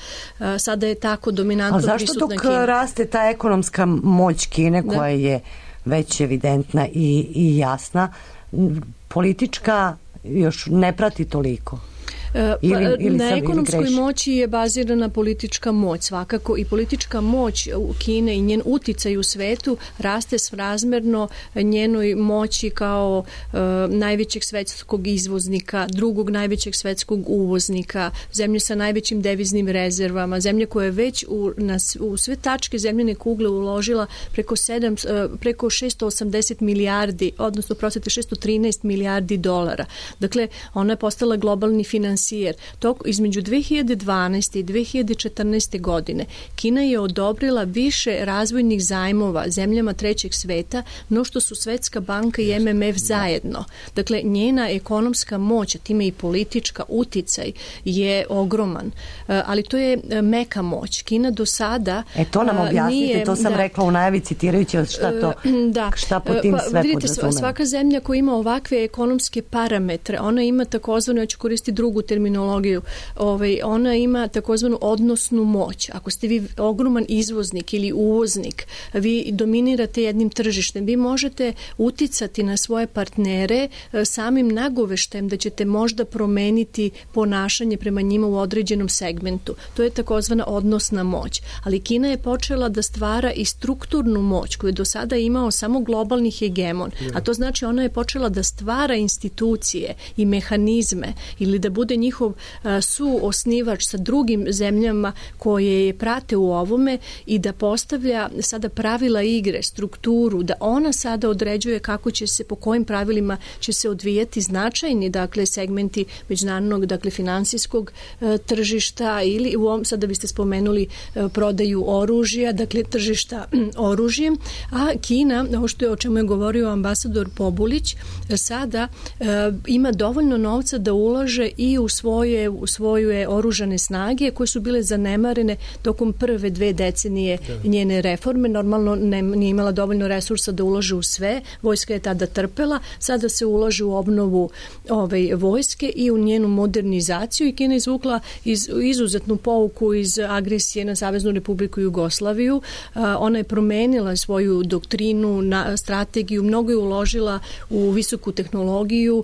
S6: Sada je tako dominantno prisutna Kina.
S4: A zašto dok raste ta ekonomska moć Kine, koja je već evidentna i jasna, politička još ne prati toliko?
S6: Na ekonomskoj moći je bazirana politička moć svakako i politička moć u Kine i njen uticaj u svetu raste srazmerno njenoj moći kao najvećeg svetskog izvoznika, drugog najvećeg svetskog uvoznika, zemlje sa najvećim deviznim rezervama, zemlje koja je već u sve tačke zemljene kugle uložila preko 680 milijardi, odnosno 613 milijardi dolara. Dakle, ona je postala globalni financijer. Između 2012. i 2014. godine Kina je odobrila više razvojnih zajmova zemljama trećeg sveta no što su Svetska banka i MMF zajedno. Dakle, njena ekonomska moć, a time i politička uticaj je ogroman. Ali to je meka moć. Kina do sada
S4: to nam objasnite, to sam rekla u najavi citirajući šta po tim sve podrazumemo.
S6: Svaka zemlja koja ima ovakve ekonomske parametre, ona ima takozvano, ja ću koristiti drugu terminologiju, ona ima takozvanu odnosnu moć. Ako ste vi ogroman izvoznik ili uvoznik, vi dominirate jednim tržištem, vi možete uticati na svoje partnere samim nagoveštajem da ćete možda promeniti ponašanje prema njima u određenom segmentu. To je takozvana odnosna moć. Ali Kina je počela da stvara i strukturnu moć koju je do sada imao samo globalni hegemon. A to znači ona je počela da stvara institucije i mehanizme ili da bude njihov suosnivač sa drugim zemljama koje je prate u ovome i da postavlja sada pravila igre, strukturu, da ona sada određuje kako će se, po kojim pravilima će se odvijati značajni, dakle, segmenti međunarodnog, dakle, finansijskog tržišta ili u ovom, sada biste spomenuli prodaju oružja, dakle, tržišta oružjem, a Kina, o čemu je govorio ambasador Pobulić, sada ima dovoljno novca da ulaže i u svoje oružane snage koje su bile zanemarene tokom prve 2 decenije njene reforme. Normalno nije imala dovoljno resursa da ulaže u sve. Vojska je tada trpela. Sada se ulaže u obnovu vojske i u njenu modernizaciju i Kina izvukla izuzetnu pouku iz agresije na Saveznu Republiku Jugoslaviju. Ona je promenila svoju doktrinu, strategiju, mnogo je uložila u visoku tehnologiju,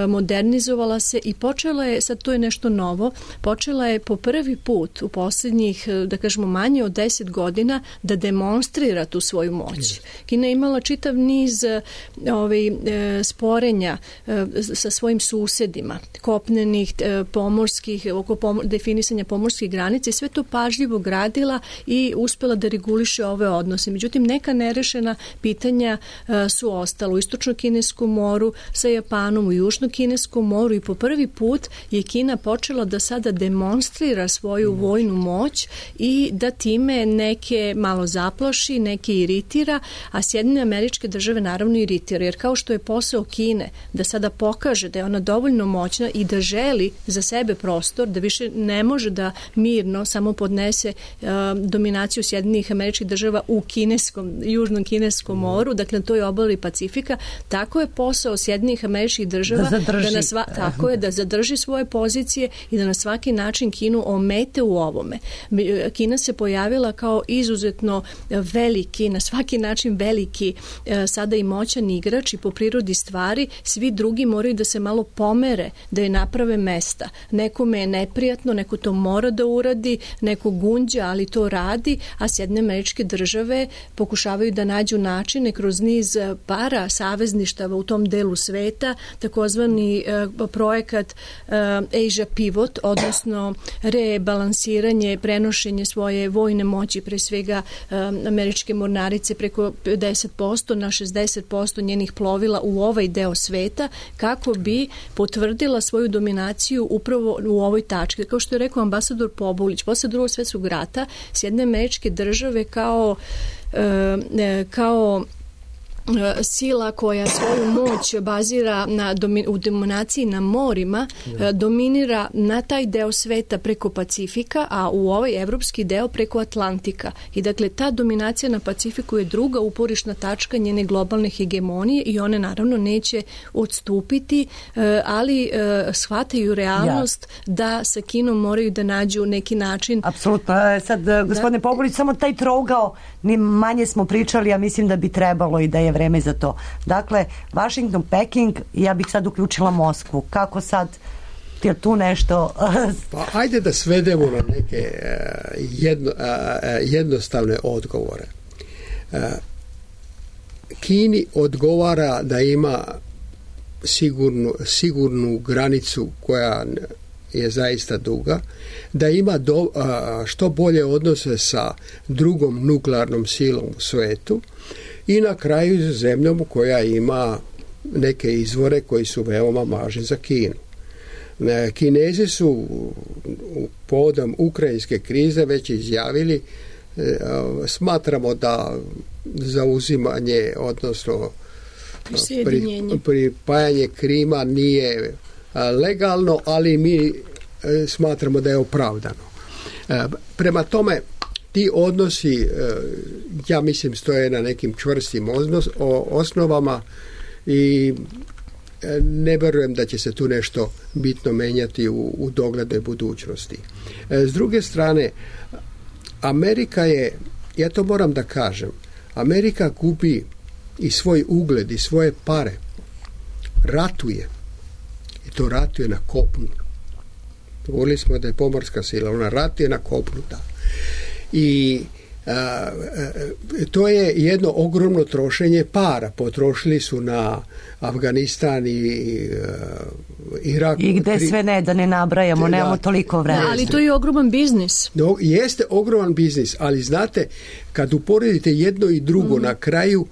S6: modernizovala se i počela je sad to je nešto novo, počela je po prvi put u posljednjih, da kažemo, manje od 10 godina da demonstrira tu svoju moć. Kina je imala čitav niz sporenja sa svojim susedima, kopnenih, pomorskih, oko definisanja pomorskih granica i sve to pažljivo gradila i uspela da reguliše ove odnose. Međutim, neka nerešena pitanja su ostala u Istočno-Kineskom moru, sa Japanom u Južno-Kineskom moru i po prvi put je Kina počela da sada demonstrira svoju vojnu moć i da time neke malo zaplaši, neke iritira, a Sjedinjene Američke Države naravno iritira, jer kao što je posao Kine da sada pokaže da je ona dovoljno moćna i da želi za sebe prostor, da više ne može da mirno samo podnese dominaciju Sjedinjenih Američkih Država u Južnom Kineskom moru, dakle na toj obali Pacifika, tako je posao Sjedinjenih Američkih Država da zadrži svoje pozicije i da na svaki način Kinu omete u ovome. Kina se pojavila kao izuzetno veliki, na svaki način veliki, sada i moćan igrač i po prirodi stvari svi drugi moraju da se malo pomere, da je naprave mesta. Nekome je neprijatno, neko to mora da uradi, neko gunđa, ali to radi, a Sjedinjene Američke Države pokušavaju da nađu načine kroz niz para savezništava u tom delu sveta, takozvani projekat Asia Pivot, odnosno rebalansiranje, prenošenje svoje vojne moći, pre svega američke mornarice preko 50% na 60% njenih plovila u ovaj deo sveta, kako bi potvrdila svoju dominaciju upravo u ovoj tački. Kao što je rekao ambasador Pobulić, posle Drugog svjetskog rata Sjedinjene Američke Države kao sila koja svoju moć bazira u dominaciji na morima, dominira na taj deo sveta preko Pacifika, a u ovaj evropski deo preko Atlantika. I dakle, ta dominacija na Pacifiku je druga uporišna tačka njene globalne hegemonije i one naravno neće odstupiti, ali shvataju realnost da sa Kinom moraju da nađu neki način.
S4: Apsolutno. Sad, gospodine Pobulić, samo taj trougao, ni manje smo pričali, a mislim da bi trebalo i da je vreme za to. Dakle, Washington, Peking, ja bih sad uključila Moskvu. Kako sad, je tu nešto?
S7: Pa ajde da svedemo na neke jednostavne odgovore. Kini odgovara da ima sigurnu granicu koja je zaista duga, da ima što bolje odnose sa drugom nuklearnom silom u svetu i na kraju zemljom koja ima neke izvore koji su veoma važni za Kinu. Kinezi su povodom ukrajinske krize već izjavili, smatramo da zauzimanje, odnosno pripajanje Krima nije legalno, ali mi smatramo da je opravdano. Prema tome, ti odnosi, ja mislim, stoje na nekim čvrstim osnovama i ne vjerujem da će se tu nešto bitno menjati u doglednoj budućnosti. S druge strane, Amerika je, ja to moram da kažem, Amerika gubi i svoj ugled i svoje pare, ratuje, i to ratuje na kopnu. Govorili smo da je pomorska sila, ona ratuje na kopnu, da. I to je jedno ogromno trošenje para. Potrošili su na Afganistan i Irak.
S4: I gde sve ne, da ne nabrajamo, nemamo toliko vremena.
S6: Ali to je ogroman biznis.
S7: No, jeste ogroman biznis, ali znate, kad uporedite jedno i drugo, na kraju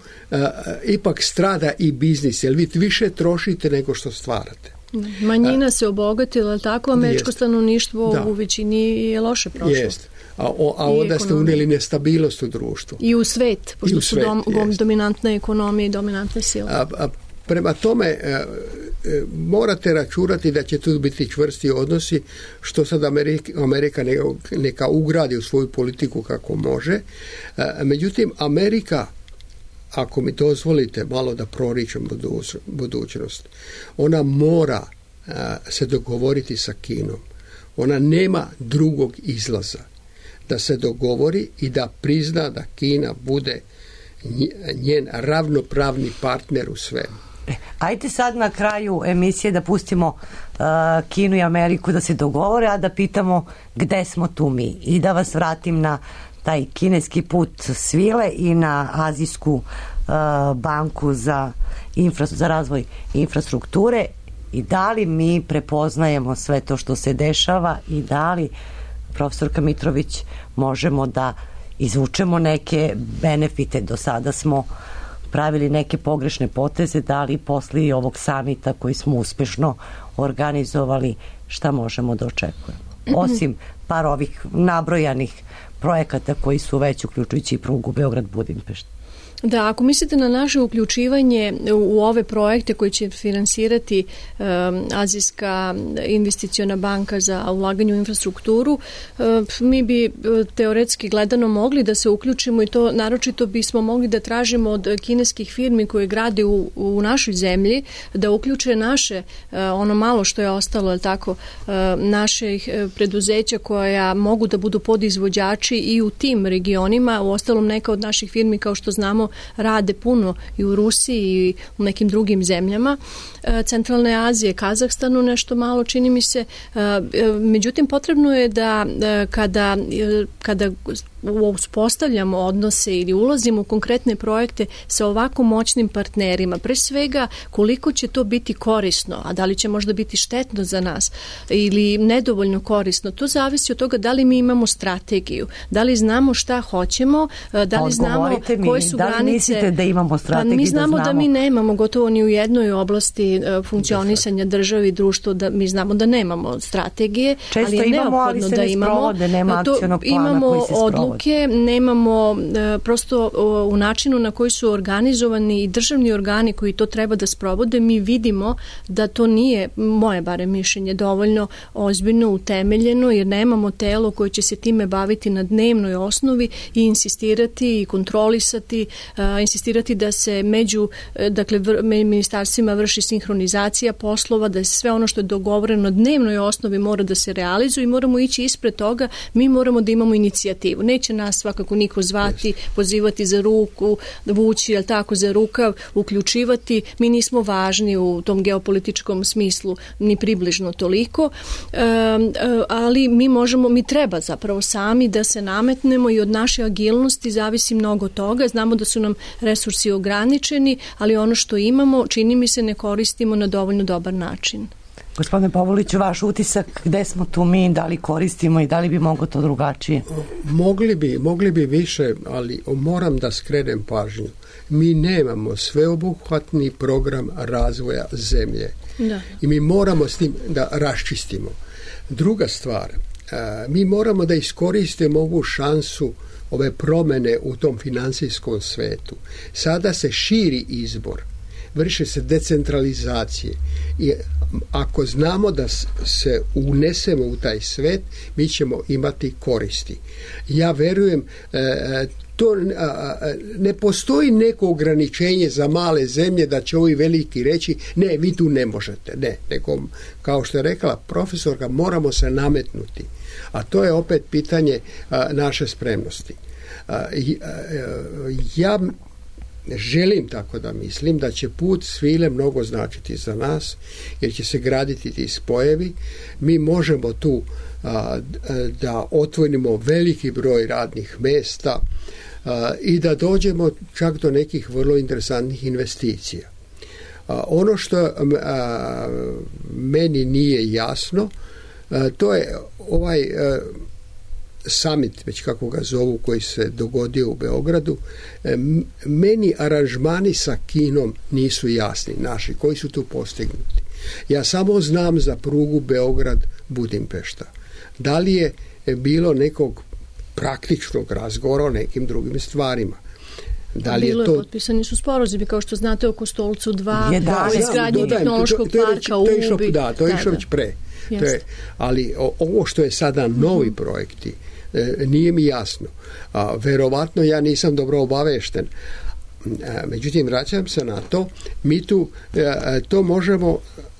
S7: ipak strada i biznis, jer vi više trošite nego što stvarate.
S6: Manjina se obogatila, ali tako američko stanovništvo u većini je loše prošlo.
S7: Jeste. A onda ste unijeli nestabilnost u društvu.
S6: I u svet, pošto su dominantna ekonomija i dominantna sila.
S7: Prema tome, morate računati da će tu biti čvrsti odnosi, što sad Amerika neka ugradi u svoju politiku kako može. Međutim, Amerika, ako mi dozvolite malo da proričem budućnost, ona mora se dogovoriti sa Kinom. Ona nema drugog izlaza. Da se dogovori i da prizna da Kina bude njen ravnopravni partner u svemu.
S4: Ajde sad na kraju emisije da pustimo Kinu i Ameriku da se dogovore, a da pitamo gde smo tu mi i da vas vratim na taj kineski put svile i na Azijsku banku za razvoj infrastrukture i da li mi prepoznajemo sve to što se dešava i da li, profesorka Mitrović, možemo da izvučemo neke benefite. Do sada smo pravili neke pogrešne poteze, da li posle ovog samita koji smo uspešno organizovali, šta možemo da očekujemo? Osim par ovih nabrojanih projekata koji su već, uključujući i prugu Beograd-Budimpešta.
S6: Da, ako mislite na naše uključivanje u ove projekte koji će finansirati Azijska investiciona banka za ulaganje u infrastrukturu, mi bi teoretski gledano mogli da se uključimo i to naročito bismo mogli da tražimo od kineskih firmi koje grade u našoj zemlji da uključe naše, ono malo što je ostalo, je tako, naših preduzeća koja mogu da budu podizvođači i u tim regionima. U ostalom, neka od naših firmi, kao što znamo, rade puno i u Rusiji i u nekim drugim zemljama Centralne Azije, Kazahstanu nešto malo, čini mi se. Međutim, potrebno je da kada uspostavljamo odnose ili ulazimo u konkretne projekte sa ovako moćnim partnerima, pre svega koliko će to biti korisno, a da li će možda biti štetno za nas ili nedovoljno korisno, to zavisi od toga da li mi imamo strategiju, da li znamo šta hoćemo, da li znamo koje su granice.
S4: Da li mislite da imamo strategiju?
S6: Pa mi znamo da mi nemamo gotovo ni u jednoj oblasti funkcionisanja države i društva, da mi znamo da nemamo strategije, ali je neophodno da imamo.
S4: Nema akcionog plana koji se sprovode.
S6: Nemamo prosto u načinu na koji su organizovani i državni organi koji to treba da sprovode, mi vidimo da to nije, moje bare mišljenje, dovoljno ozbiljno utemeljeno, jer nemamo telo koje će se time baviti na dnevnoj osnovi i insistirati i kontrolisati, insistirati da se među ministarstvima vrši sinhronizacija poslova, da sve ono što je dogovoreno na dnevnoj osnovi mora da se realizuje i moramo ići ispred toga, mi moramo da imamo inicijativu. Neće nas svakako niko zvati, pozivati za ruku, vući, jel tako, za rukav, uključivati. Mi nismo važni u tom geopolitičkom smislu, ni približno toliko, ali mi treba zapravo sami da se nametnemo i od naše agilnosti zavisi mnogo toga. Znamo da su nam resursi ograničeni, ali ono što imamo, čini mi se, ne koristimo na dovoljno dobar način.
S4: Gospodine Pavloviću, vaš utisak, gde smo tu mi, da li koristimo i da li bi moglo to drugačije?
S7: Mogli bi više, ali moram da skrenem pažnju. Mi nemamo sveobuhvatni program razvoja zemlje. Da. I mi moramo s tim da raščistimo. Druga stvar, mi moramo da iskoristimo ovu šansu, ove promene u tom finansijskom svetu. Sada se širi izbor, vrše se decentralizacije i ako znamo da se unesemo u taj svet, mi ćemo imati koristi. Ja verujem, to ne postoji neko ograničenje za male zemlje da će ovi veliki reći ne, vi tu ne možete, ne, nego kao što je rekla profesorka, moramo se nametnuti, a to je opet pitanje naše spremnosti. Ja želim tako da mislim da će put svile mnogo značiti za nas, jer će se graditi ti spojevi. Mi možemo tu da otvorimo veliki broj radnih mesta i da dođemo čak do nekih vrlo interesantnih investicija. Ono što meni nije jasno, to je ovaj summit, već kako ga zovu, koji se dogodio u Beogradu. Meni aranžmani sa Kinom nisu jasni, naši, koji su tu postignuti. Ja samo znam za prugu Beograd-Budimpešta. Da li je bilo nekog praktičnog razgovora o nekim drugim stvarima?
S6: Potpisani su sporazumi, kao što znate, oko Stolcu 2, o izgradnji tehnološkog parka u Ubi.
S7: Da, to je išlo već pre. Ali ovo što je sada novi projekti, nije mi jasno. Verovatno ja nisam dobro obavešten. Međutim, vraćam se na to. Mi tu,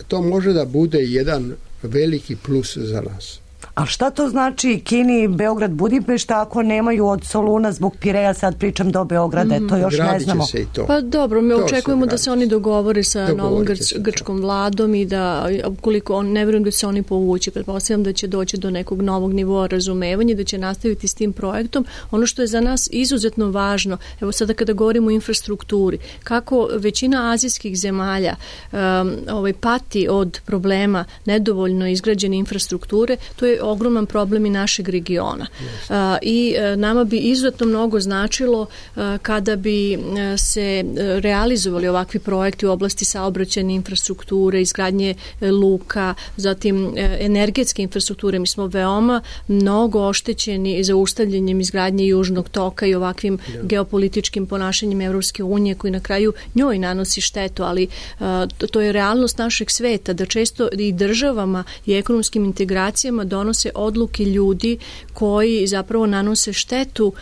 S7: to može da bude jedan veliki plus za nas.
S4: A šta to znači Kini, Beograd, Budimpešta ako nemaju od Soluna zbog Pireja, sad pričam do Beograda, to još ne znamo.
S7: Se i to.
S6: Pa dobro, mi očekujemo da se oni dogovore sa novom grčkom vladom i da ukoliko ne vjerujem da se oni povući, pretpostavljam da će doći do nekog novog nivoa razumevanja, da će nastaviti s tim projektom. Ono što je za nas izuzetno važno, evo sada kada govorimo o infrastrukturi, kako većina azijskih zemalja pati od problema nedovoljno izgrađene infrastrukture, to je ogroman problem i našeg regiona. I nama bi izuzetno mnogo značilo kada bi se realizovali ovakvi projekti u oblasti saobraćajne infrastrukture, izgradnje luka, zatim energetske infrastrukture. Mi smo veoma mnogo oštećeni zaustavljanjem izgradnje Južnog toka i ovakvim geopolitičkim ponašanjem Evropske unije koji na kraju njoj nanosi štetu, ali to je realnost našeg sveta, da često i državama i ekonomskim integracijama donose odluke ljudi koji zapravo nanose štetu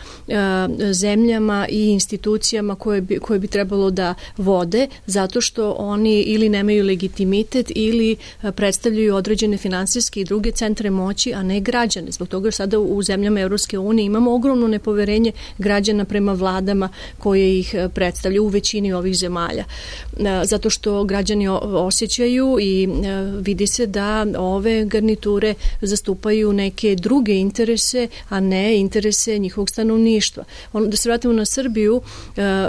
S6: zemljama i institucijama koje bi trebalo da vode, zato što oni ili nemaju legitimitet ili predstavljaju određene finansijske i druge centre moći, a ne građane. Zbog toga sada u zemljama Evropske unije imamo ogromno nepoverenje građana prema vladama koje ih predstavljaju u većini ovih zemalja. Zato što građani osjećaju i vidi se da ove garniture zastupaju neke druge interese, a ne interese njihovog stanovništva. Da se vratimo na Srbiju,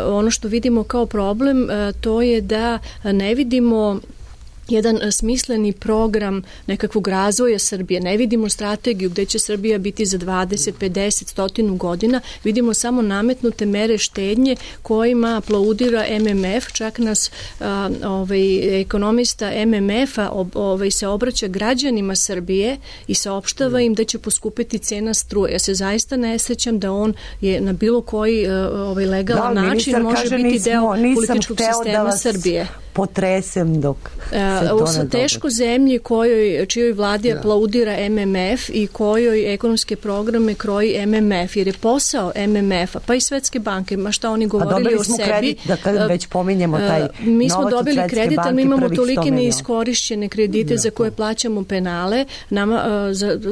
S6: ono što vidimo kao problem, to je da ne vidimo jedan smisleni program nekakvog razvoja Srbije. Ne vidimo strategiju gde će Srbija biti za 20, 50, 100 godina. Vidimo samo nametnute mere štednje kojima aplaudira MMF. Čak nas ekonomista MMF-a se obraća građanima Srbije i saopštava im da će poskupiti cena struje. Ja se zaista ne sjećam da on je na bilo koji legalan način može biti deo političkog sistema Srbije.
S4: Potresem dok
S6: ovo su teško zemlji čijoj vladi aplaudira MMF i kojoj ekonomske programe kroji MMF, jer je posao MMF-a, pa i Svetske banke, ma šta oni govorili o sebi.
S4: Kredit, da kad već pominjemo taj
S6: mi smo dobili kredit, ali mi imamo tolike neiskorišćene kredite za koje plaćamo penale.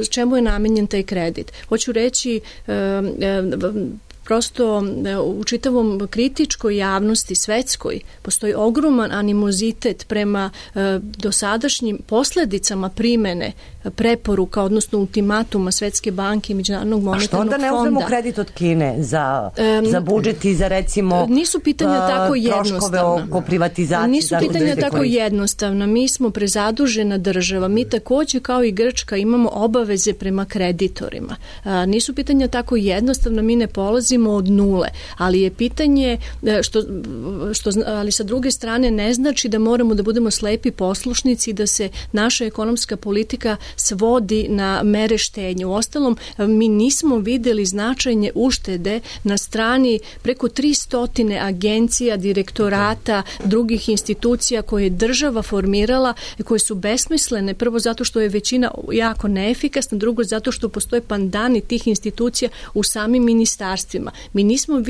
S6: Čemu je namenjen taj kredit? Hoću reći, prosto u čitavom kritičkoj javnosti svetskoj postoji ogroman animozitet prema dosadašnjim posledicama primene preporuka, odnosno ultimatuma Svetske banke i Međunarodnog monetarnog fonda.
S4: A što onda ne uzmemo kredit od Kine za budžet i za recimo
S6: nisu pitanja tako jednostavna.
S4: Oko privatizacije?
S6: Nisu pitanja tako jednostavna. Mi smo prezadužena država. Mi takođe kao i Grčka imamo obaveze prema kreditorima. Nisu pitanja tako jednostavna. Mi ne polazimo od nule, ali je pitanje ali sa druge strane ne znači da moramo da budemo slepi poslušnici, da se naša ekonomska politika svodi na mere štednje. Uostalom, mi nismo videli značajne uštede na strani preko 300 agencija, direktorata, drugih institucija koje je država formirala i koje su besmislene, prvo zato što je većina jako neefikasna, drugo zato što postoje pandani tih institucija u samim ministarstvima. Mi nismo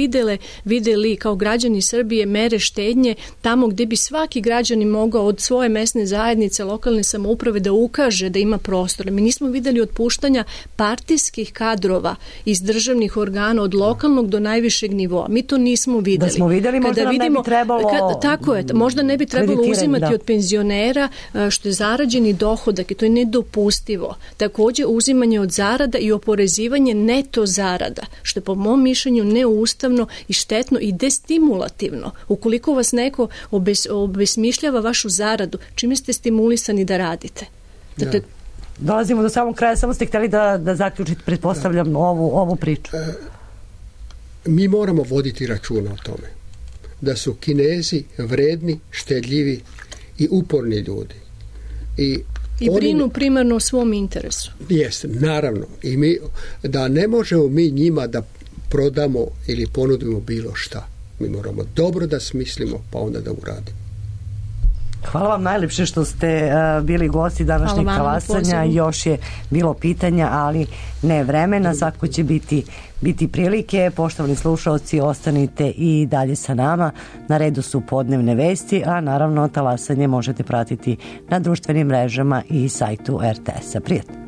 S6: videli kao građani Srbije mere štednje tamo gde bi svaki građanin mogao od svoje mesne zajednice, lokalne samouprave da ukaže da ima prostora. Mi nismo videli otpuštanja partijskih kadrova iz državnih organa od lokalnog do najvišeg nivoa. Mi to nismo videli.
S4: Da smo videli, možda nam ne bi trebalo
S6: tako je, možda ne bi trebalo uzimati od penzionera što je zarađeni dohodak i to je nedopustivo. Takođe uzimanje od zarada i oporezivanje neto zarada, što je po mom mišljenju neustavno i štetno i destimulativno. Ukoliko vas neko obesmišljava vašu zaradu, čime ste stimulisani da radite? Dakle,
S4: dolazimo do samog kraja, samo ste htjeli da zaključite, pretpostavljam, ovu priču.
S7: Mi moramo voditi računa o tome da su Kinezi vredni, štedljivi i uporni ljudi. I
S6: brinu primarno o svom interesu.
S7: Jeste, naravno. I da ne možemo mi njima da prodamo ili ponudimo bilo šta. Mi moramo dobro da smislimo, pa onda da uradimo.
S4: Hvala vam najlepše što ste bili gosti današnjeg talasanja. Još je bilo pitanja, ali ne vremena. Svako će biti prilike. Poštovani slušalci, ostanite i dalje sa nama. Na redu su podnevne vesti, a naravno talasanje možete pratiti na društvenim mrežama i sajtu RTS-a. Prijatno.